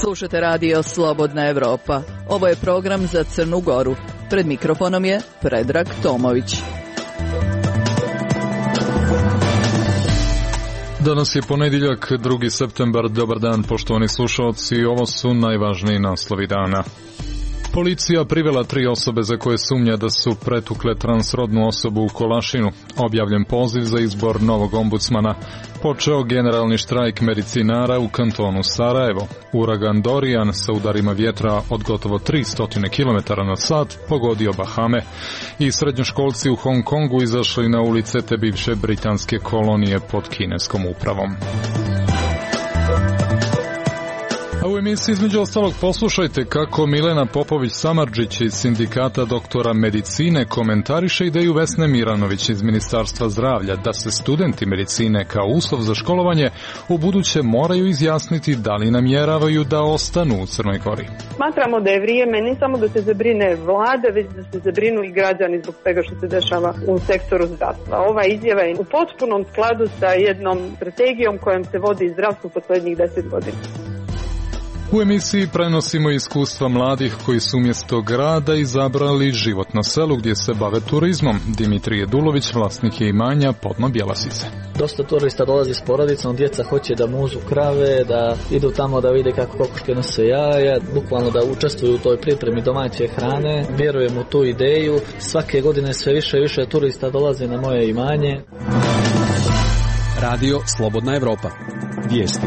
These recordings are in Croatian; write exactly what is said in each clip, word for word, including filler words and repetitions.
Slušate radio Slobodna Evropa. Ovo je program za Crnu Goru. Pred mikrofonom je Predrag Tomović. Danas je ponedjeljak, drugi septembar. Dobar dan, poštovani slušalci. Ovo su najvažniji naslovi dana. Policija privela tri osobe za koje sumnja da su pretukle transrodnu osobu u Kolašinu. Objavljen poziv za izbor novog ombudsmana. Počeo generalni štrajk medicinara u kantonu Sarajevo. Uragan Dorian sa udarima vjetra od gotovo tristo kilometara na sat pogodio Bahame. I srednjoškolci u Hong Kongu izašli na ulice te bivše britanske kolonije pod kineskom upravom. A u emisiji između ostalog poslušajte kako Milena Popović-Samardžić iz Sindikata doktora medicine komentariše ideju Vesne Miranović iz Ministarstva zdravlja da se studenti medicine kao uslov za školovanje u buduće moraju izjasniti da li namjeravaju da ostanu u Crnoj Gori. Smatramo da je vrijeme ne samo da se zabrine vlada, već da se zabrinu i građani zbog svega što se dešava u sektoru zdravstva. Ova izjava je u potpunom skladu sa jednom strategijom kojom se vodi zdravstvo poslednjih deset godina. U emisiji prenosimo iskustva mladih koji su umjesto grada izabrali život na selu gdje se bave turizmom. Dimitrije Dulović, vlasnik je imanja Podno Bjelasice. Dosta turista dolazi s porodicom, djeca hoće da muzu krave, da idu tamo da vide kako kokoške nose jaja, bukvalno da učestvuju u toj pripremi domaće hrane. Vjerujem u tu ideju. Svake godine sve više i više turista dolaze na moje imanje. Radio Slobodna Evropa. Vijesti.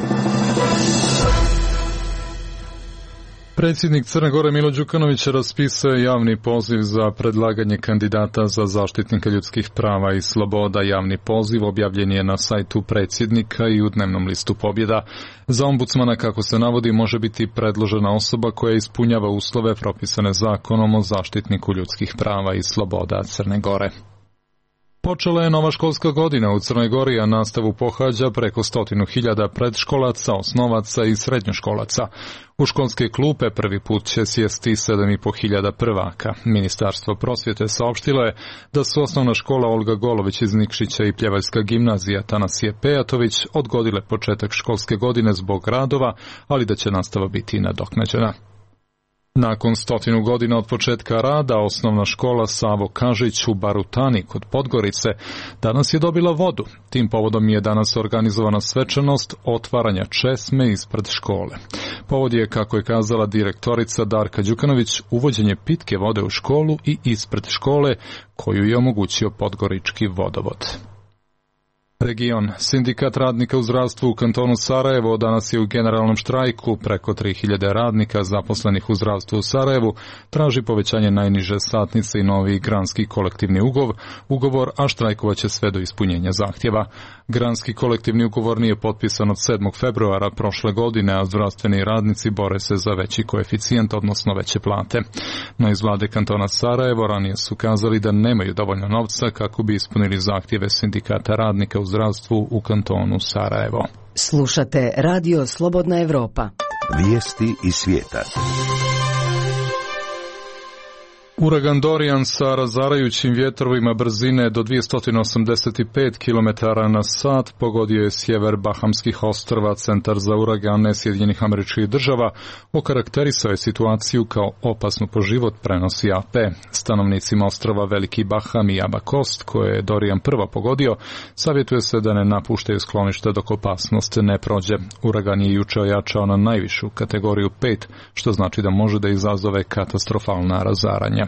Predsjednik Crne Gore Milo Đukanović raspisao je javni poziv za predlaganje kandidata za zaštitnika ljudskih prava i sloboda. Javni poziv objavljen je na sajtu predsjednika i u dnevnom listu Pobjeda. Za ombudsmana, kako se navodi, može biti predložena osoba koja ispunjava uslove propisane zakonom o zaštitniku ljudskih prava i sloboda Crne Gore. Počela je nova školska godina u Crnoj Gori, a nastavu pohađa preko stotinu hiljada predškolaca, osnovaca i srednjoškolaca. U školske klupe prvi put će sjesti sedam i po hiljada prvaka. Ministarstvo prosvjete saopštilo je da su osnovna škola Olga Golović iz Nikšića i pljevaljska gimnazija Tanasije Pejatović odgodile početak školske godine zbog radova, ali da će nastava biti nadoknađena. Nakon stotinu godina od početka rada, osnovna škola Savo Kažić u Barutani kod Podgorice danas je dobila vodu. Tim povodom je danas organizovana svečanost otvaranja česme ispred škole. Povod je, kako je kazala direktorica Darka Đukanović, uvođenje pitke vode u školu i ispred škole koju je omogućio Podgorički vodovod. Region. Sindikat radnika u zdravstvu u kantonu Sarajevo danas je u generalnom štrajku. Preko tri hiljade radnika zaposlenih u zdravstvu u Sarajevu traži povećanje najniže satnice i novi granski kolektivni ugovor, ugovor, a štrajkovaće sve do ispunjenja zahtjeva. Granski kolektivni ugovor nije potpisan od sedmog februara prošle godine, a zdravstveni radnici bore se za veći koeficijent, odnosno veće plate. No iz vlade kantona Sarajevo ranije su kazali da nemaju dovoljno novca kako bi ispunili zahtjeve sindikata radnika u zdravstvu u kantonu Sarajevo. Slušate radio Slobodna Evropa. Vijesti iz svijeta. Uragan Dorian sa razarajućim vjetrovima brzine do dvjesto osamdeset pet kilometara na sat pogodio je sjever Bahamskih ostrva. Centar za uragane Sjedinjenih Američkih Država okarakterisao je situaciju kao opasnu po život, prenosi A P. Stanovnicima ostrva Veliki Baham i Abakost, koje je Dorian prva pogodio, savjetuje se da ne napuštaju sklonište dok opasnost ne prođe. Uragan je juče ojačao na najvišu kategoriju pet, što znači da može da izazove katastrofalna razaranja.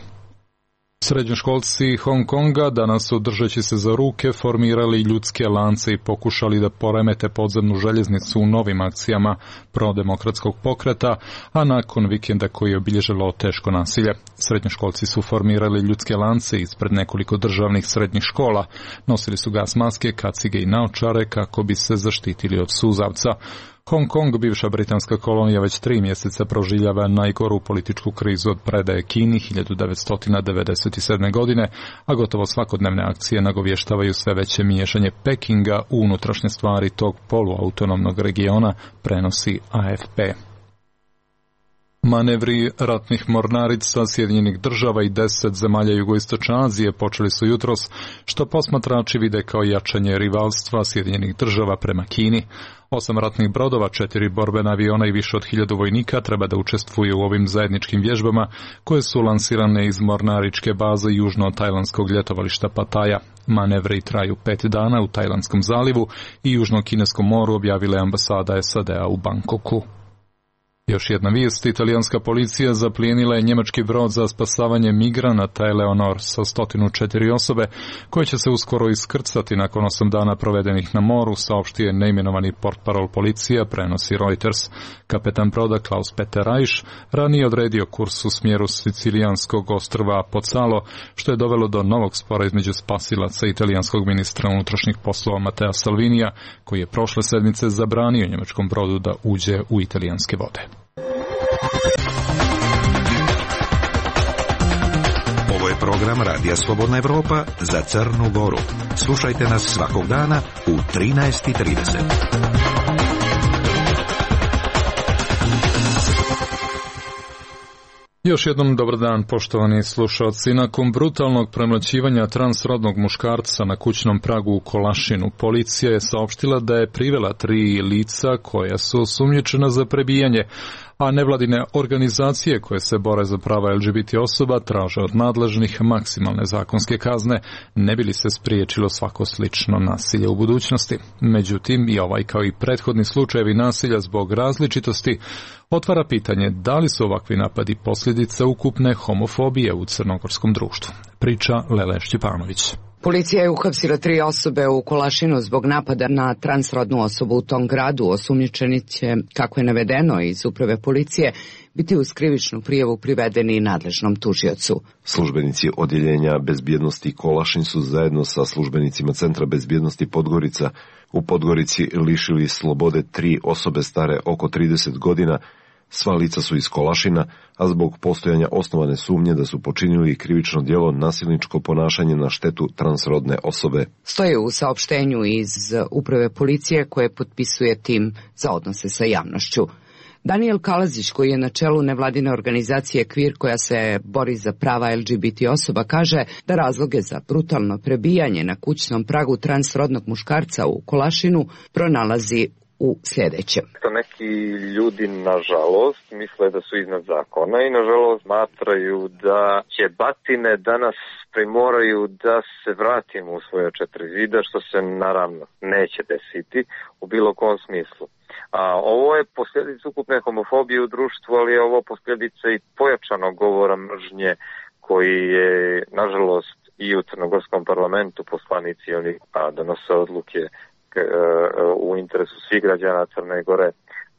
Srednjoškolci Hong Konga danas su, držeći se za ruke, formirali ljudske lance i pokušali da poremete podzemnu željeznicu u novim akcijama prodemokratskog pokreta, a nakon vikenda koji je obilježilo teško nasilje. Srednjoškolci su formirali ljudske lance ispred nekoliko državnih srednjih škola. Nosili su gas maske, kacige i naočare kako bi se zaštitili od suzavca. Hong Kong, bivša britanska kolonija, već tri mjeseca proživljava najgoru političku krizu od predaje Kini hiljadu devetsto devedeset sedme. godine, a gotovo svakodnevne akcije nagovještavaju sve veće miješanje Pekinga u unutrašnje stvari tog poluautonomnog regiona, prenosi A F P. Manevri ratnih mornarica Sjedinjenih država i deset zemalja jugoistočne Azije počeli su jutros, što posmatrači vide kao jačanje rivalstva Sjedinjenih država prema Kini. Osam ratnih brodova, četiri borbena aviona i više od hiljadu vojnika treba da učestvuju u ovim zajedničkim vježbama koje su lansirane iz mornaričke baze južno od tajlandskog ljetovališta Pataja. Manevri traju pet dana u Tajlandskom zalivu i Južno-Kineskom moru, objavila je ambasada S A D-a u Bangkoku. Još jedna vijest, italijanska policija zaplijenila je njemački brod za spasavanje migranata Eleonor sa sto četiri osobe, koje će se uskoro iskrcati nakon osam dana provedenih na moru, saopštio je neimenovani portparol policija, prenosi Reuters. Kapetan broda Klaus Peter Reich ranije odredio kurs u smjeru sicilijanskog ostrva Pozzalo, što je dovelo do novog spora između spasilaca italijanskog ministra unutrašnjih poslova Matteo Salvinija, koji je prošle sedmice zabranio njemačkom brodu da uđe u italijanske vode. Ovo je program Radija Slobodna Evropa za Crnu Goru. Slušajte nas svakog dana u trinaest i trideset. Još jednom dobar dan, poštovani slušalci. Nakon brutalnog premlaćivanja transrodnog muškarca na kućnom pragu u Kolašinu, policija je saopštila da je privela tri lica koja su osumnjičena za prebijanje, a nevladine organizacije koje se bore za prava L G B T osoba traže od nadležnih maksimalne zakonske kazne, ne bi li se spriječilo svako slično nasilje u budućnosti. Međutim, i ovaj kao i prethodni slučajevi nasilja zbog različitosti otvara pitanje da li su ovakvi napadi posljedica ukupne homofobije u crnogorskom društvu. Priča Lele Šćepanović. Policija je uhapsila tri osobe u Kolašinu zbog napada na transrodnu osobu u tom gradu. Osumnjičeni će, kako je navedeno iz uprave policije, biti uz krivičnu prijavu privedeni nadležnom tužiocu. Službenici odjeljenja bezbjednosti Kolašin su zajedno sa službenicima Centra bezbjednosti Podgorica u Podgorici lišili slobode tri osobe stare oko trideset godina. Sva lica su iz Kolašina, a zbog postojanja osnovane sumnje da su počinili krivično djelo nasilničko ponašanje na štetu transrodne osobe. Stoje u saopštenju iz uprave policije koje potpisuje tim za odnose sa javnošću. Daniel Kalazić, koji je na čelu nevladine organizacije Kvir koja se bori za prava L G B T osoba, kaže da razloge za brutalno prebijanje na kućnom pragu transrodnog muškarca u Kolašinu pronalazi u sljedećem. Neki ljudi, nažalost, misle da su iznad zakona i, nažalost, smatraju da će batine danas primoraju da se vratimo u svoje četiri zida, što se naravno neće desiti u bilo kom smislu. A ovo je posljedica ukupne homofobije u društvu, ali je ovo posljedica i pojačanog govora mržnje koji je, nažalost, i u crnogorskom parlamentu poslanici oni donose odluke u interesu svih građana Crne Gore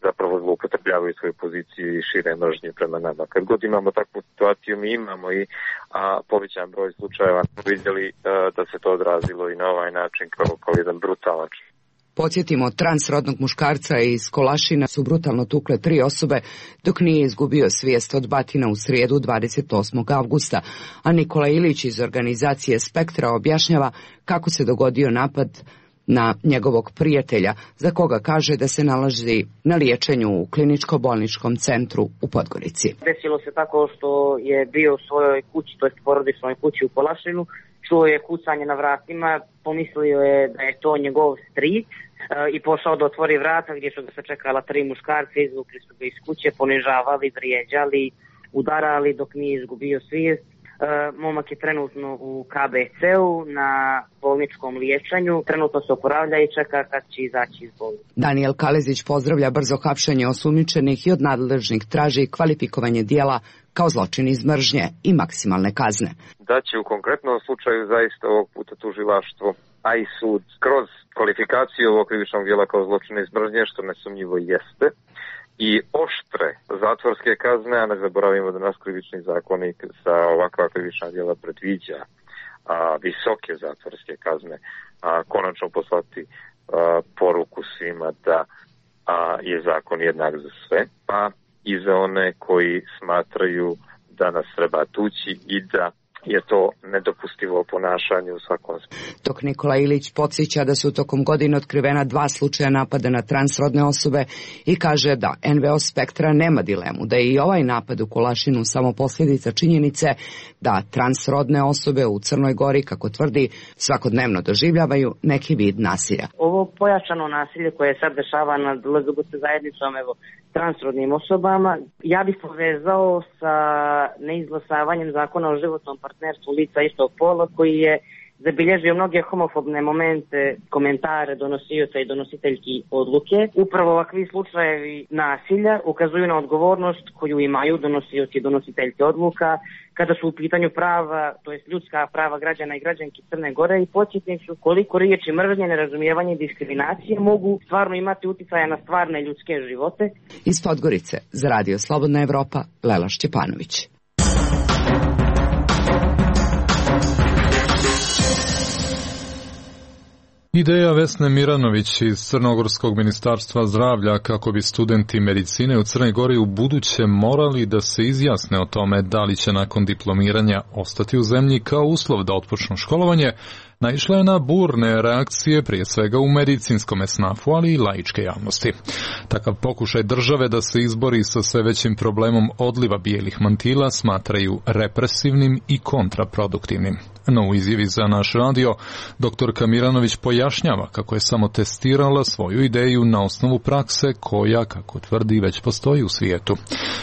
zapravo zloupotrebljavaju svoju poziciju i šire mržnje prema nama. Kad god imamo takvu situaciju, mi imamo i a, povećan broj slučajeva, vidjeli a, da se to odrazilo i na ovaj način kao, kao jedan brutalan. Podsjetimo, transrodnog muškarca iz Kolašina su brutalno tukle tri osobe dok nije izgubio svijest od batina u srijedu dvadeset osmog avgusta, a Nikola Ilić iz organizacije Spektra objašnjava kako se dogodio napad na njegovog prijatelja, za koga kaže da se nalazi na liječenju u kliničko-bolničkom centru u Podgorici. Desilo se tako što je bio u svojoj kući, to jest porodičnoj kući u Kolašinu, čuo je kucanje na vratima, pomislio je da je to njegov stric i pošao da otvori vrata gdje su ga se čekala tri muškarca, izvukli su ga iz kuće, ponižavali, vrijeđali, udarali dok nije izgubio svijest. Momak je trenutno u K B C-u na bolničkom liječenju, trenutno se oporavlja i čeka kad će izaći iz bolnice. Daniel Kalezić pozdravlja brzo hapšenje osumnjičenih i od nadležnih traži kvalifikovanje dijela kao zločin iz mržnje i maksimalne kazne. Da će u konkretnom slučaju zaista ovog puta tužilaštvo, a i sud, kroz kvalifikaciju ovog krivičnog dijela kao zločin iz mržnje, što nesumnjivo jeste, i oštre zatvorske kazne, a ne zaboravimo da nas krivični zakonik za ovakva krivična djela predviđa a, visoke zatvorske kazne, a konačno poslati a, poruku svima da a, je zakon jednak za sve, pa i za one koji smatraju da nas treba tući i da je to nedopustivo ponašanje u svakom smislu. Dok Nikola Ilić podsjeća da su tokom godine otkrivena dva slučaja napada na transrodne osobe i kaže da en ve o Spektra nema dilemu da je i ovaj napad u Kolašinu samo posljedica činjenice da transrodne osobe u Crnoj Gori, kako tvrdi, svakodnevno doživljavaju neki vid nasilja. Ovo pojačano nasilje koje sad dešava nad el ge be te zajednicom, evo, transrodnim osobama, ja bih povezao sa neizglasavanjem zakona o životnom partnerstvu lica istog pola, koji je zabilježio mnoge homofobne momente, komentare donosioca i donositeljki odluke. Upravo ovakvi slučajevi nasilja ukazuju na odgovornost koju imaju donosioci i donositeljke odluka kada su u pitanju prava, to jest ljudska prava građana i građanki Crne Gore, i podsjetnik su koliko riječi mržnje, nerazumijevanje i diskriminacije mogu stvarno imati utjecaja na stvarne ljudske živote. Iz Podgorice za Radio Slobodna Evropa, Lela Šćepanović. Ideja Vesne Miranović iz Crnogorskog ministarstva zdravlja kako bi studenti medicine u Crnoj Gori u buduće morali da se izjasne o tome da li će nakon diplomiranja ostati u zemlji kao uslov da otpočnu školovanje, naišla je na burne reakcije prije svega u medicinskom esnafu, ali i laičke javnosti. Takav pokušaj države da se izbori sa sve većim problemom odliva bijelih mantila smatraju represivnim i kontraproduktivnim. No u izjavi za naš radio, doktorka Miranović pojašnjava kako je samo testirala svoju ideju na osnovu prakse koja, kako tvrdi, već postoji u svijetu.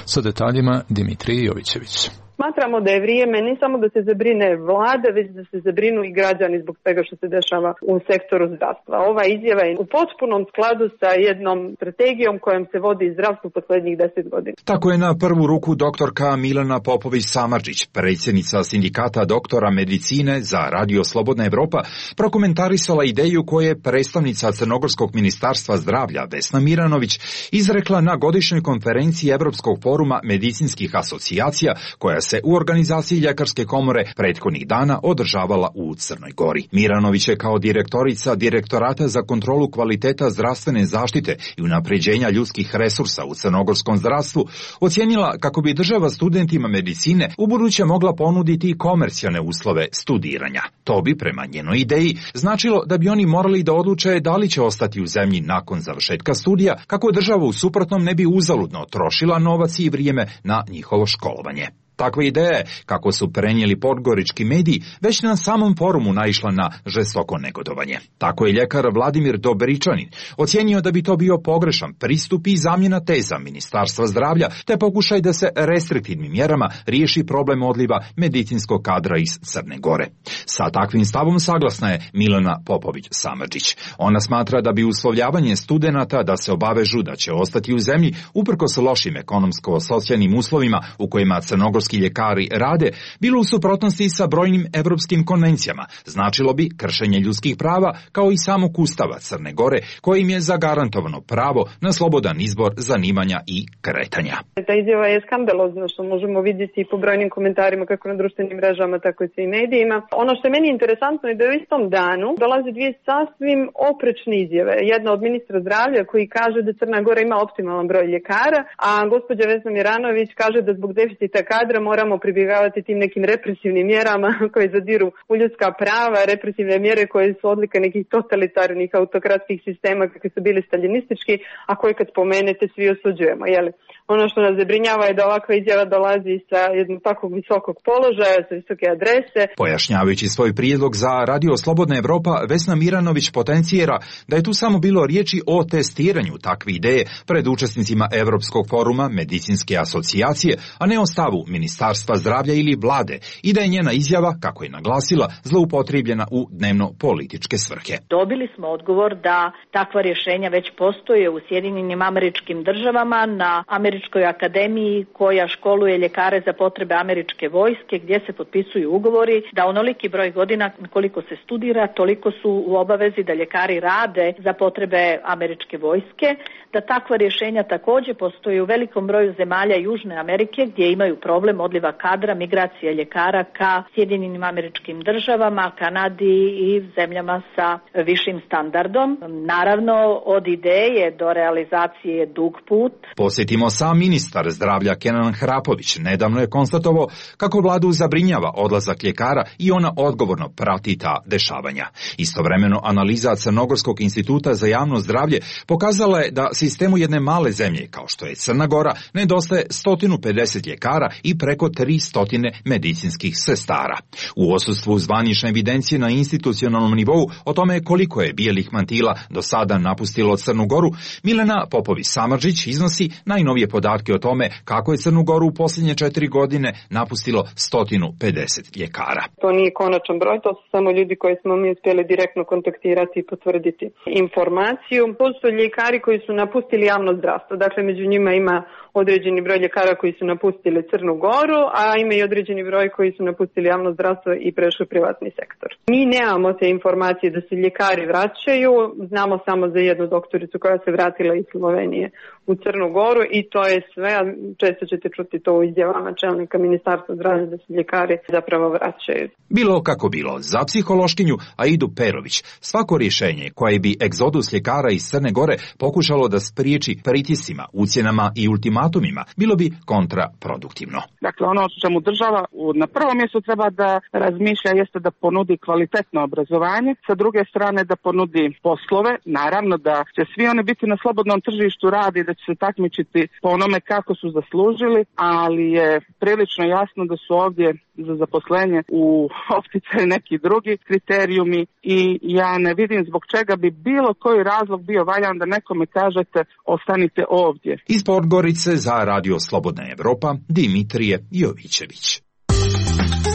Sa detaljima Dimitrij Jovićević. Smatramo da je vrijeme ne samo da se zabrine vlada, već da se zabrinu i građani zbog svega što se dešava u sektoru zdravstva. Ova izjava je u potpunom skladu sa jednom strategijom kojom se vodi zdravstvo posljednjih deset godina. Tako je na prvu ruku doktorka Milana Popović-Samardžić, predsjednica sindikata doktora medicine za Radio Slobodna Evropa, prokomentarisala ideju koje je predstavnica Crnogorskog ministarstva zdravlja Vesna Miranović izrekla na godišnjoj konferenciji Evropskog foruma medicinskih asocijacija koja se u organizaciji Ljekarske komore prethodnih dana održavala u Crnoj Gori. Miranović je kao direktorica Direktorata za kontrolu kvaliteta zdravstvene zaštite i unapređenja ljudskih resursa u crnogorskom zdravstvu ocijenila kako bi država studentima medicine ubuduće mogla ponuditi komercijalne uslove studiranja. To bi, prema njenoj ideji, značilo da bi oni morali da odluče da li će ostati u zemlji nakon završetka studija, kako država u suprotnom ne bi uzaludno trošila novac i vrijeme na njihovo školovanje. Takva ideja je, kako su prenijeli podgorički mediji, već na samom forumu naišla na žestoko negodovanje. Tako je ljekar Vladimir Dobričanin ocijenio da bi to bio pogrešan pristup i zamjena teza Ministarstva zdravlja, te pokušaj da se restriktivnim mjerama riješi problem odliva medicinskog kadra iz Crne Gore. Sa takvim stavom saglasna je Milana Popović-Samardžić. Ona smatra da bi uslovljavanje studenata da se obavežu da će ostati u zemlji uprkos lošim ekonomsko-socijalnim uslovima u kojima crnogorski ljekari rade, bilo u suprotnosti sa brojnim evropskim konvencijama, značilo bi kršenje ljudskih prava kao i samog Ustava Crne Gore, kojim je zagarantovano pravo na slobodan izbor zanimanja i kretanja. Ta izjava je skandalozna, što možemo vidjeti po brojnim komentarima kako na društvenim mrežama, tako i u medijima. Ono što je meni interesantno je da u istom danu dolaze dvije sasvim oprečne izjave. Jedna od ministra zdravlja koji kaže da Crna Gora ima optimalan broj ljekara, a gospođa Vesna Miranović kaže da zbog deficita kadra moramo pribjegavati tim nekim represivnim mjerama koje zadiru u ljudska prava, represivne mjere koje su odlika nekih totalitarnih autokratskih sistema kakvi su bili staljinistički, a koje kad spomenete svi osuđujemo. Jeli? Ono što nas zabrinjava je da ovakva izjava dolazi sa jednog takvog visokog položaja, sa visoke adrese. Pojašnjavajući svoj prijedlog za Radio Slobodna Evropa, Vesna Miranović potencijera da je tu samo bilo riječi o testiranju takve ideje pred učesnicima Evropskog foruma medicinske asocijacije, a ne o stavu Ministarstva zdravlja ili vlade, i da je njena izjava, kako je naglasila, zloupotrijebljena u dnevno-političke svrhe. Dobili smo odgovor da takva rješenja već postoje u Sjedinjenim Američkim Državama na Američkoj akademiji koja školuje ljekare za potrebe američke vojske, gdje se potpisuju ugovori da onoliki broj godina koliko se studira, toliko su u obavezi da ljekari rade za potrebe američke vojske, da takva rješenja također postoje u velikom broju zemalja Južne Amerike gdje imaju problem problem odliva kadra, migracije ljekara ka Sjedinjenim Američkim Državama, Kanadi i zemljama sa višim standardom. Naravno, od ideje do realizacije je dug put. Posjetimo sam ministar zdravlja Kenan Hrapović. Nedavno je konstatovao kako vladu zabrinjava odlazak ljekara i ona odgovorno prati ta dešavanja. Istovremeno, analiza Crnogorskog instituta za javno zdravlje pokazala je da sistemu jedne male zemlje, kao što je Crna Gora, nedostaje sto pedeset ljekara i preko tristo medicinskih sestara. U odsustvu zvanične evidencije na institucionalnom nivou o tome koliko je bijelih mantila do sada napustilo Crnu Goru, Milena Popović-Samardžić iznosi najnovije podatke o tome kako je Crnu Goru u posljednje četiri godine napustilo sto pedeset ljekara. To nije konačan broj, to su samo ljudi koji smo mi uspjeli direktno kontaktirati i potvrditi informaciju. To su ljekari koji su napustili javno zdravstvo, dakle među njima ima određeni broj ljekara koji su napustili Crnu Goru, a ima i određeni broj koji su napustili javno zdravstvo i prešli u privatni sektor. Mi nemamo te informacije da se ljekari vraćaju, znamo samo za jednu doktoricu koja se vratila iz Slovenije u Crnu Goru i to je sve, a često ćete čuti to u izjavama čelnika Ministarstva zdravlja da se ljekari zapravo vraćaju. Bilo kako bilo, za psihološkinju Aidu Perović svako rješenje koje bi egzodus ljekara iz Crne Gore pokušalo da spriječi pritiscima, ucjenama i ultimatumima, bilo bi kontraproduktivno. Dakle, ono o čemu država na prvom mjestu treba da razmišlja jeste da ponudi kvalitetno obrazovanje, sa druge strane da ponudi poslove, naravno da će svi oni biti na slobodnom tržištu rada i da će se takmičiti po onome kako su zaslužili, ali je prilično jasno da su ovdje za zaposlenje u opticaju neki drugi kriterijumi i ja ne vidim zbog čega bi bilo koji razlog bio valjan da nekome kažete ostanite ovdje. Iz Podgorice za Radio Slobodna Evropa, Dimitrije Jovićević.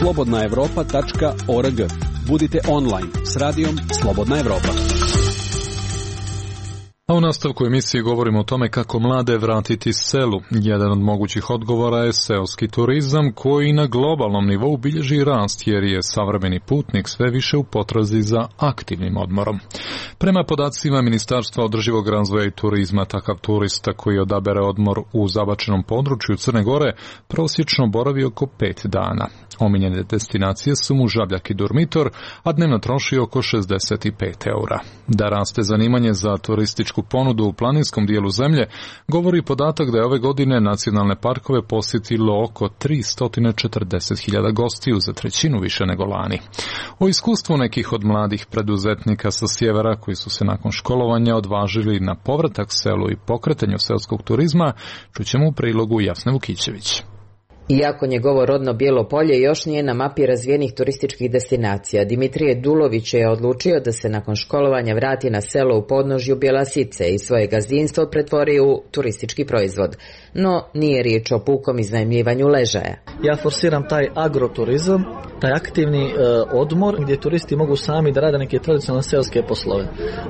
slobodna evropa tačka org. Budite online s radijom Slobodna Evropa. A u nastavku emisije govorimo o tome kako mlade vratiti selu. Jedan od mogućih odgovora je seoski turizam koji na globalnom nivou bilježi rast jer je savremeni putnik sve više u potrazi za aktivnim odmorom. Prema podacima Ministarstva održivog razvoja i turizma, takav turista koji odabere odmor u zabačenom području Crne Gore prosječno boravi oko pet dana. Omiljene destinacije su mu Žabljak i Durmitor, a dnevno troši oko šezdeset pet eura. Da raste zanimanje za turističku ponudu u planinskom dijelu zemlje, govori podatak da je ove godine nacionalne parkove posjetilo oko tristo četrdeset hiljada gostiju, za trećinu više nego lani. O iskustvu nekih od mladih preduzetnika sa sjevera koji su se nakon školovanja odvažili na povratak selu i pokretanju seoskog turizma, čućemo u prilogu Jasne Vukićević. Iako njegovo rodno Bijelo Polje još nije na mapi razvijenih turističkih destinacija, Dimitrije Dulović je odlučio da se nakon školovanja vrati na selo u podnožju Bjelasice i svoje gazdinstvo pretvori u turistički proizvod. No, nije riječ o pukom iznajmljivanju ležaja. Ja forsiram taj agroturizam, taj aktivni e, odmor gdje turisti mogu sami da rade neke tradicionalne seoske poslove.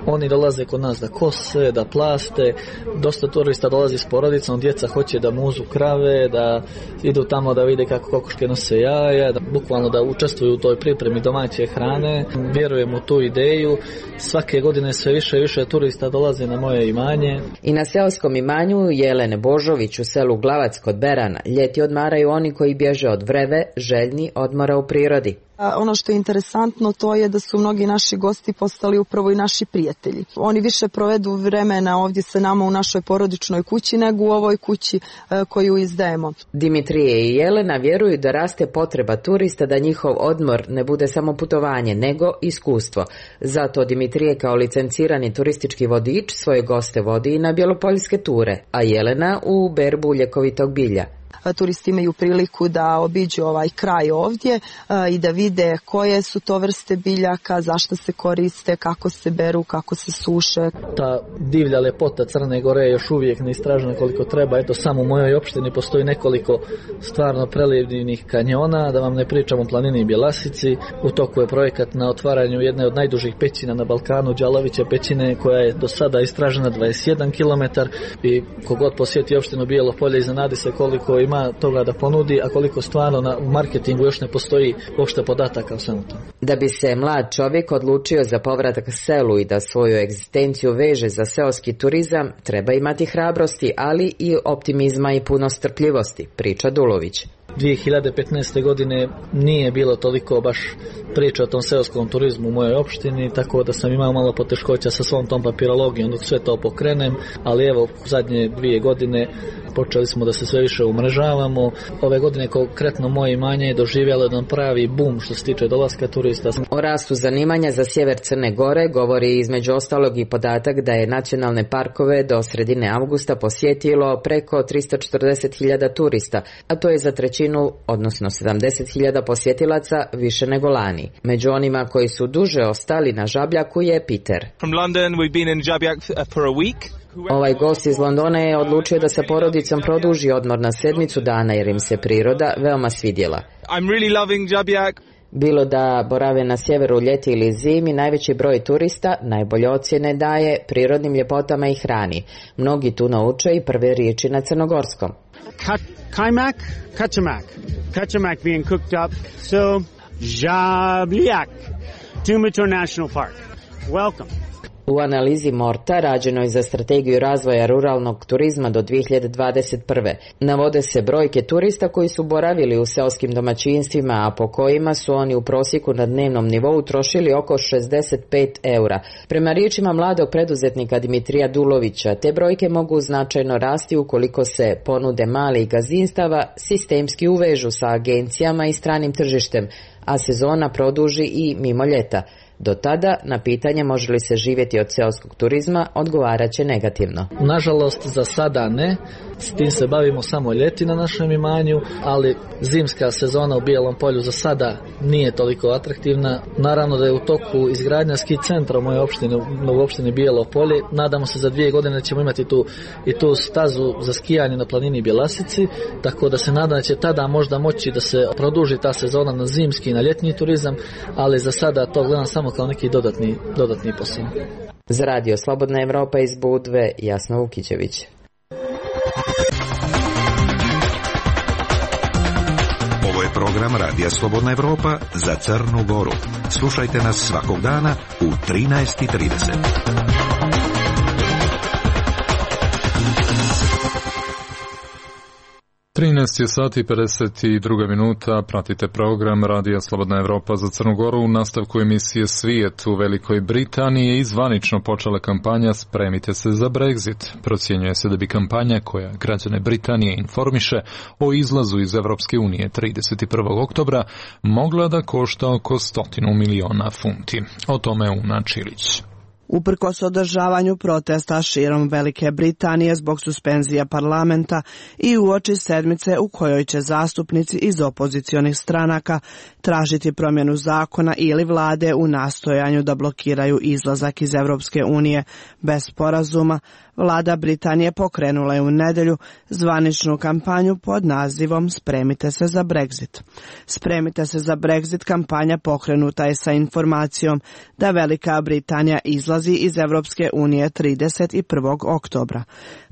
Oni dolaze kod nas da kose, da plaste, dosta turista dolazi s porodicom, djeca hoće da muzu krave, da idu tamo da vide kako kokoške nose jaja, da bukvalno da učestvuju u toj pripremi domaće hrane. Vjerujem u tu ideju. Svake godine sve više i više turista dolaze na moje imanje. I na seoskom imanju Jelene Božović u selu Glavac kod Berana ljeti odmaraju oni koji bježe od vreve, željni odmora u prirodi. Ono što je interesantno to je da su mnogi naši gosti postali upravo i naši prijatelji. Oni više provedu vremena ovdje sa nama u našoj porodičnoj kući nego u ovoj kući koju izdajemo. Dimitrije i Jelena vjeruju da raste potreba turista da njihov odmor ne bude samo putovanje nego iskustvo. Zato Dimitrije kao licencirani turistički vodič svoje goste vodi i na bjelopoljske ture, a Jelena u berbu ljekovitog bilja. Turisti imaju priliku da obiđu ovaj kraj ovdje i da vide koje su to vrste biljaka, zašto se koriste, kako se beru, kako se suše. Ta divlja lepota Crne Gore je još uvijek neistražena koliko treba. Eto, samo u mojoj opštini postoji nekoliko stvarno prelijevnih kanjona, da vam ne pričam o planini Bjelasici. U toku je projekat na otvaranju jedne od najdužih pećina na Balkanu, Đalaviće pećine, koja je do sada istražena dvadeset jedan kilometar i kogod posjeti opštinu Bijelo Polje iznenadi se koliko ima toga da ponudi, a koliko stvarno na marketingu još ne postoji uopšte podataka o svemu tome. Da bi se mlad čovjek odlučio za povratak selu i da svoju egzistenciju veže za seoski turizam, treba imati hrabrosti, ali i optimizma i puno strpljivosti, priča Dulović. dvije hiljade petnaeste. godine nije bilo toliko baš priča o tom seoskom turizmu u mojoj opštini, tako da sam imao malo poteškoća sa svom tom papirologijom dok sve to pokrenem, ali evo zadnje dvije godine počeli smo da se sve više umrežavamo. Ove godine konkretno moje imanje je doživjelo jedan pravi bum što se tiče dolaska turista. O rastu zanimanja za sjever Crne Gore govori između ostalog i podatak da je nacionalne parkove do sredine avgusta posjetilo preko tristo četrdeset hiljada turista, a to je za trećinu, odnosno sedamdeset hiljada posjetilaca više nego lani. Među onima koji su duže ostali na Žabljaku je Peter. From London, we've been in Žabljak for a week. Ovaj gost iz Londona je odlučio da sa porodicom produži odmor na sedmicu dana jer im se priroda veoma svidjela. I'm really loving Žabljak. Bilo da borave na sjeveru ljeti ili zimi, najveći broj turista najbolje ocjene daje prirodnim ljepotama i hrani. Mnogi tu nauče i prve riječi na crnogorskom. Kajmak, kačamak. Kačamak being cooked up. So, Žabljak, Tumitor National Park. Welcome. U analizi Morta, rađenoj za strategiju razvoja ruralnog turizma do dvije hiljade dvadeset prve. navode se brojke turista koji su boravili u seoskim domaćinstvima, a po kojima su oni u prosjeku na dnevnom nivou trošili oko šezdeset pet eura. Prema riječima mladog preduzetnika Dimitrija Dulovića, te brojke mogu značajno rasti ukoliko se ponude malih gazdinstava sistemski uvežu sa agencijama i stranim tržištem, a sezona produži i mimo ljeta. Do tada, na pitanje može li se živjeti od seoskog turizma, odgovarat će negativno. Nažalost, za sada ne. S tim se bavimo samo ljeti na našem imanju, ali zimska sezona u Bijelom Polju za sada nije toliko atraktivna. Naravno da je u toku izgradnja ski centra u mojoj opštini, u opštini Bijelo Polje. Nadamo se za dvije godine da ćemo imati tu i tu stazu za skijanje na planini Bjelasici, tako da se nadam da će tada možda moći da se produži ta sezona na zimski i na ljetni turizam, ali za sada to gledam samo kao neki dodatni, dodatni posao. Za radio Slobodna Evropa iz Budve, Jasna Vukićević. Ovo je program Radija Slobodna Evropa za Crnu Goru. Slušajte nas svakog dana u trinaest i trideset. trinaest je sati i pedeset dva minuta, pratite program Radija Slobodna Evropa za Crnu Goru. U nastavku emisije Svijet u Velikoj Britaniji je izvanično počela kampanja Spremite se za Brexit. Procjenjuje se da bi kampanja koja građane Britanije informiše o izlazu iz Evropske unije trideset prvog oktobra mogla da košta oko stotinu miliona funti. O tome Una Čilić. Uprkos održavanju protesta širom Velike Britanije zbog suspenzija parlamenta i uoči sedmice u kojoj će zastupnici iz opozicionih stranaka tražiti promjenu zakona ili vlade u nastojanju da blokiraju izlazak iz Evropske unije bez sporazuma, vlada Britanije pokrenula je u nedjelju zvaničnu kampanju pod nazivom Spremite se za Brexit. Spremite se za Brexit kampanja pokrenuta je sa informacijom da Velika Britanija izlazi iz Evropske unije trideset prvog oktobra.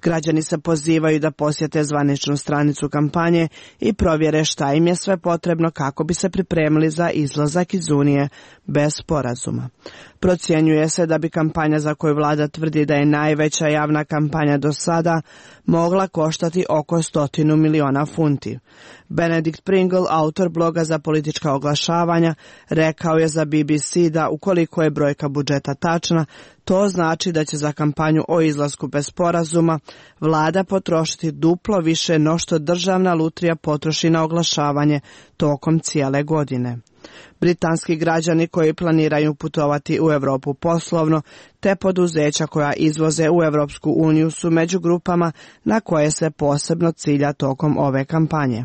Građani se pozivaju da posjete zvaničnu stranicu kampanje i provjere šta im je sve potrebno kako bi se pripremili za izlazak iz Unije bez sporazuma. Procjenjuje se da bi kampanja za koju vlada tvrdi da je najveća javna kampanja do sada mogla koštati oko stotinu miliona funti. Benedict Pringle, autor bloga za politička oglašavanja, rekao je za B B C da ukoliko je brojka budžeta tačna, to znači da će za kampanju o izlasku bez sporazuma vlada potrošiti duplo više no što državna lutrija potroši na oglašavanje tokom cijele godine. Britanski građani koji planiraju putovati u Europu poslovno, te poduzeća koja izvoze u Europsku uniju su među grupama na koje se posebno cilja tokom ove kampanje.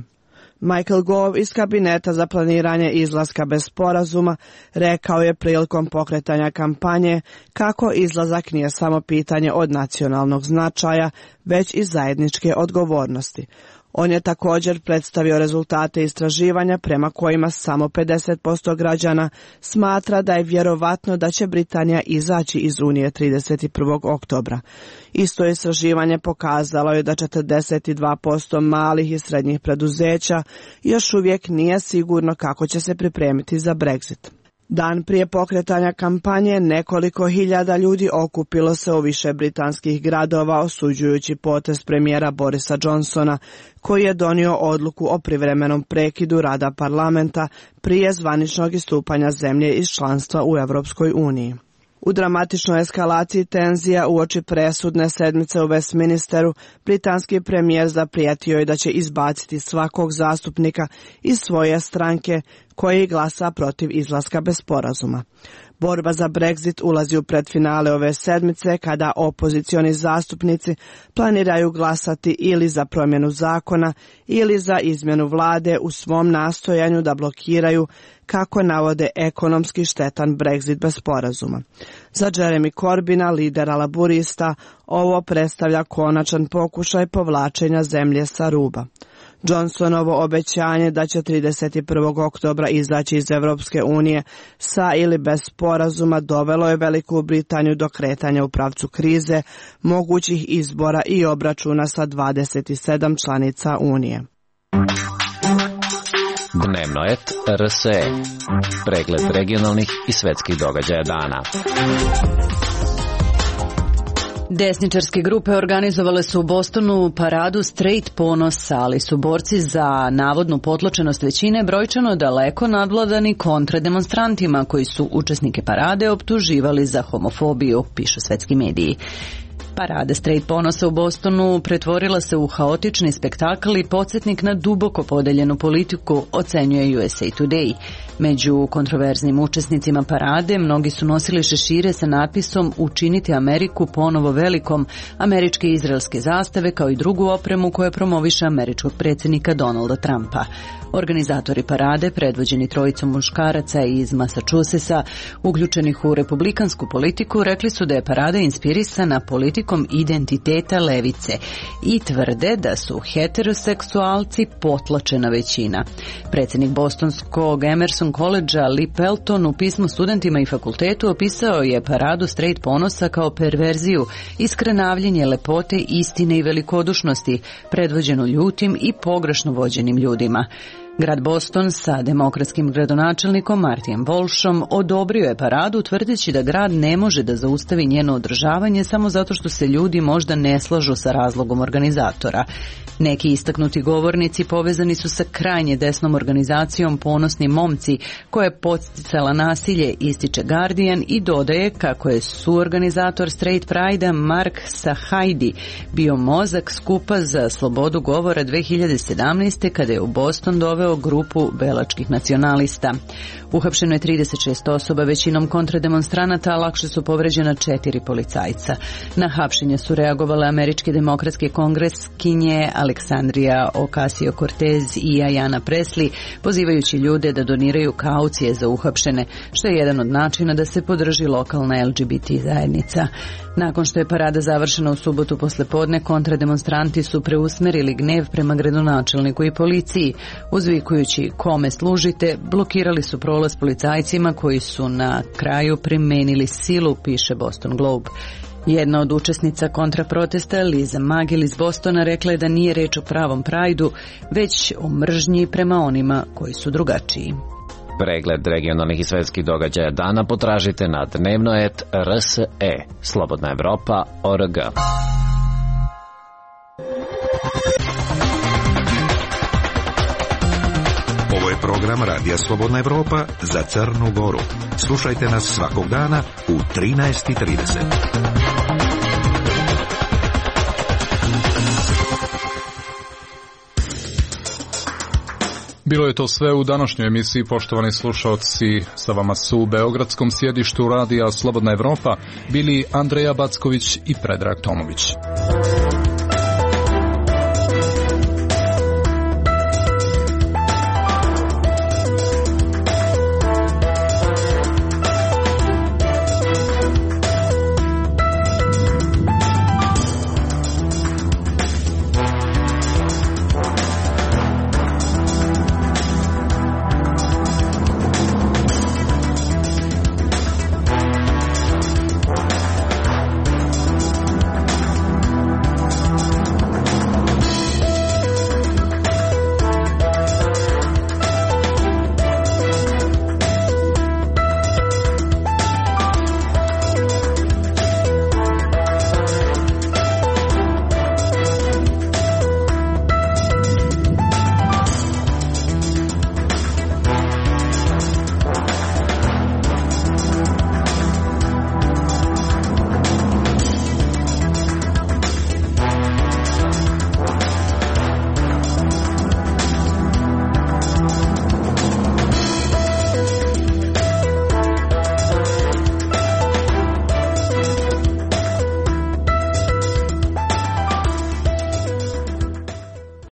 Michael Gove iz kabineta za planiranje izlaska bez sporazuma rekao je prilikom pokretanja kampanje kako izlazak nije samo pitanje od nacionalnog značaja, već i zajedničke odgovornosti. On je također predstavio rezultate istraživanja prema kojima samo pedeset posto građana smatra da je vjerovatno da će Britanija izaći iz Unije trideset prvog oktobra. Isto istraživanje pokazalo je da četrdeset dva posto malih i srednjih preduzeća još uvijek nije sigurno kako će se pripremiti za Brexit. Dan prije pokretanja kampanje nekoliko hiljada ljudi okupilo se u više britanskih gradova osuđujući potez premijera Borisa Johnsona, koji je donio odluku o privremenom prekidu rada parlamenta prije zvaničnog istupanja zemlje iz članstva u Europskoj uniji. U dramatičnoj eskalaciji tenzija uoči presudne sedmice u Westminsteru, britanski premijer zaprijetio je da će izbaciti svakog zastupnika iz svoje stranke koji glasa protiv izlaska bez sporazuma. Borba za Brexit ulazi u predfinale ove sedmice kada opozicioni zastupnici planiraju glasati ili za promjenu zakona ili za izmjenu vlade u svom nastojanju da blokiraju, kako navode, ekonomski štetan Brexit bez sporazuma. Za Jeremy Corbyna, lidera laburista, ovo predstavlja konačan pokušaj povlačenja zemlje sa ruba. Johnsonovo obećanje da će trideset prvog oktobra izaći iz Europske unije sa ili bez sporazuma dovelo je Veliku Britaniju do kretanja u pravcu krize, mogućih izbora i obračuna sa dvadeset sedam članica Unije. Dnevno et R S E. Pregled regionalnih i svetskih događaja dana. Desničarske grupe organizovale su u Bostonu paradu Straight ponosa, ali su borci za navodnu potlačenost većine brojčano daleko nadvladani kontrademonstrantima koji su učesnike parade optuživali za homofobiju, pišu svetski mediji. Parada Straight ponosa u Bostonu pretvorila se u haotični spektakl i podsjetnik na duboko podeljenu politiku, ocenjuje U S A Today. Među kontroverznim učesnicima parade mnogi su nosili šešire sa natpisom "Učiniti Ameriku ponovo velikom", američke i izraelske zastave kao i drugu opremu koja promoviše američkog predsjednika Donalda Trumpa. Organizatori parade, predvođeni trojicom muškaraca iz Massachusettsa, uključenih u republikansku politiku, rekli su da je parada inspirisana politikom identiteta levice i tvrde da su heteroseksualci potlačena većina. Predsjednik bostonskog Emerson College-a Lee Pelton u pismu studentima i fakultetu opisao je paradu Straight ponosa kao perverziju, iskrenavljenje lepote, istine i velikodušnosti, predvođenu ljutim i pogrešno vođenim ljudima. Grad Boston sa demokratskim gradonačelnikom Martijem Walshom odobrio je paradu tvrdeći da grad ne može da zaustavi njeno održavanje samo zato što se ljudi možda ne slažu sa razlogom organizatora. Neki istaknuti govornici povezani su sa krajnje desnom organizacijom Ponosni momci, koja je podsticala nasilje, ističe Guardian, i dodaje kako je suorganizator Straight Pride-a Mark Sahajdi bio mozak skupa za slobodu govora dve hiljade sedamnaeste. kada je u Boston doveo grupu belačkih nacionalista. Uhapšeno je trideset šest osoba, većinom kontrademonstranata, a lakše su povređena četiri policajca. Na hapšenje su reagovale američke demokratske kongreskinje Aleksandrija Ocasio-Cortez i Ayanna Pressley, pozivajući ljude da doniraju kaucije za uhapšene, što je jedan od načina da se podrži lokalna L G B T zajednica. Nakon što je parada završena u subotu poslepodne, kontrademonstranti su preusmerili gnev prema gradonačelniku i policiji. Uzvikujući "kome služite", blokirali su prolaz policajcima koji su na kraju primenili silu, piše Boston Globe. Jedna od učesnica kontraprotesta, Liza Magil iz Bostona, rekla je da nije reč o pravom prajdu, već o mržnji prema onima koji su drugačiji. Pregled regionalnih i svetskih događaja dana potražite na dnevno et R S E. Slobodna Evropa O R G. Ovo je program Radija Slobodna Evropa za Crnu Goru. Slušajte nas svakog dana u trinaest i trideset. Bilo je to sve u današnjoj emisiji, poštovani slušalci. Sa vama su u beogradskom sjedištu Radija Slobodna Evropa bili Andreja Backović i Predrag Tomović.